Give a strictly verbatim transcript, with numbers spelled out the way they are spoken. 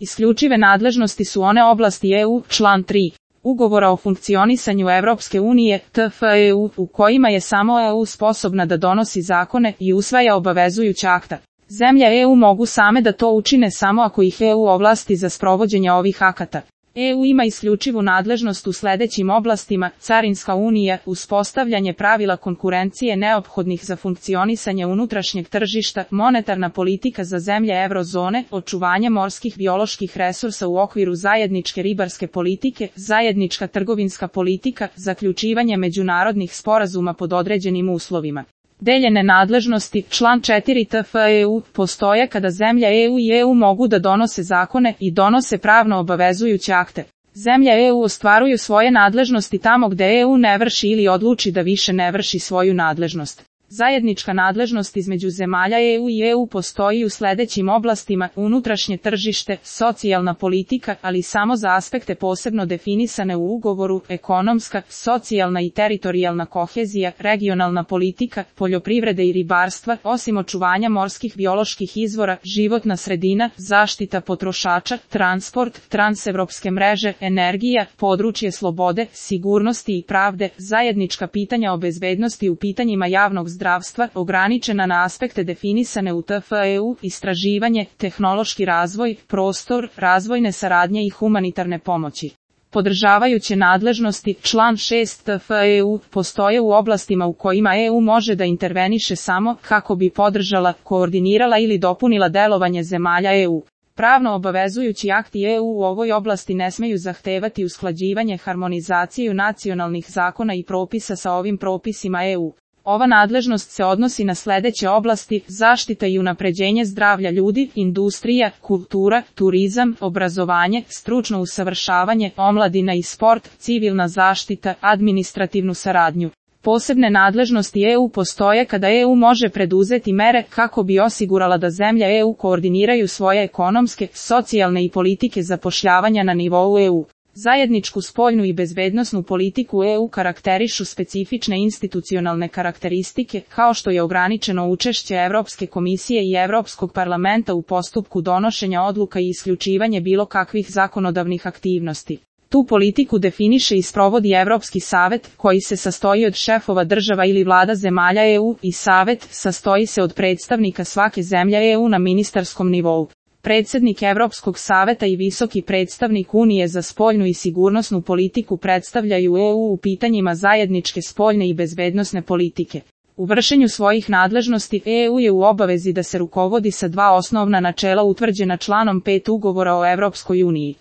Isključive nadležnosti su one oblasti E U, član tri. Ugovora o funkcionisanju Evropske unije, T F E U, u kojima je samo E U sposobna da donosi zakone i usvaja obavezujuća akta. Zemlje E U mogu same da to učine samo ako ih E U ovlasti za sprovođenje ovih akata. E U ima isključivu nadležnost u sledećim oblastima: carinska unija, uspostavljanje pravila konkurencije neophodnih za funkcionisanje unutrašnjeg tržišta, monetarna politika za zemlje eurozone, očuvanje morskih bioloških resursa u okviru zajedničke ribarske politike, zajednička trgovinska politika, zaključivanje međunarodnih sporazuma pod određenim uslovima. Deljene nadležnosti, član četiri T F E U, postoje kada zemlja E U i E U mogu da donose zakone i donose pravno obavezujuće akte. Zemlje E U ostvaruju svoje nadležnosti tamo gde E U ne vrši ili odluči da više ne vrši svoju nadležnost. Zajednička nadležnost između zemalja E U i E U postoji u sledećim oblastima: unutrašnje tržište, socijalna politika, ali samo za aspekte posebno definisane u ugovoru, ekonomska, socijalna i teritorijalna kohezija, regionalna politika, poljoprivrede i ribarstva, osim očuvanja morskih bioloških izvora, životna sredina, zaštita potrošača, transport, transevropske mreže, energija, područje slobode, sigurnosti i pravde, zajednička pitanja o bezbednosti u pitanjima javnog zdravstva, ograničena na aspekte definisane u T F E U, istraživanje, tehnološki razvoj, prostor, razvojne saradnje i humanitarne pomoći. Podržavajuće nadležnosti, član šest T F E U, postoje u oblastima u kojima E U može da interveniše samo kako bi podržala, koordinirala ili dopunila delovanje zemalja E U. Pravno obavezujući akti E U u ovoj oblasti ne smeju zahtevati usklađivanje, harmonizaciju nacionalnih zakona i propisa sa ovim propisima E U. Ova nadležnost se odnosi na sledeće oblasti: zaštita i unapređenje zdravlja ljudi, industrija, kultura, turizam, obrazovanje, stručno usavršavanje, omladina i sport, civilna zaštita, administrativnu saradnju. Posebne nadležnosti E U postoje kada E U može preduzeti mere kako bi osigurala da zemlje E U koordiniraju svoje ekonomske, socijalne i politike zapošljavanja na nivou E U. Zajedničku spoljnu i bezbednosnu politiku E U karakterišu specifične institucionalne karakteristike, kao što je ograničeno učešće Evropske komisije i Evropskog parlamenta u postupku donošenja odluka i isključivanje bilo kakvih zakonodavnih aktivnosti. Tu politiku definiše i sprovodi Evropski savet, koji se sastoji od šefova država ili vlada zemalja E U, i savet sastoji se od predstavnika svake zemlje E U na ministarskom nivou. Predsednik Evropskog saveta i visoki predstavnik Unije za spoljnu i sigurnosnu politiku predstavljaju E U u pitanjima zajedničke spoljne i bezbednosne politike. U vršenju svojih nadležnosti E U je u obavezi da se rukovodi sa dva osnovna načela utvrđena članom pet Ugovora o Evropskoj uniji.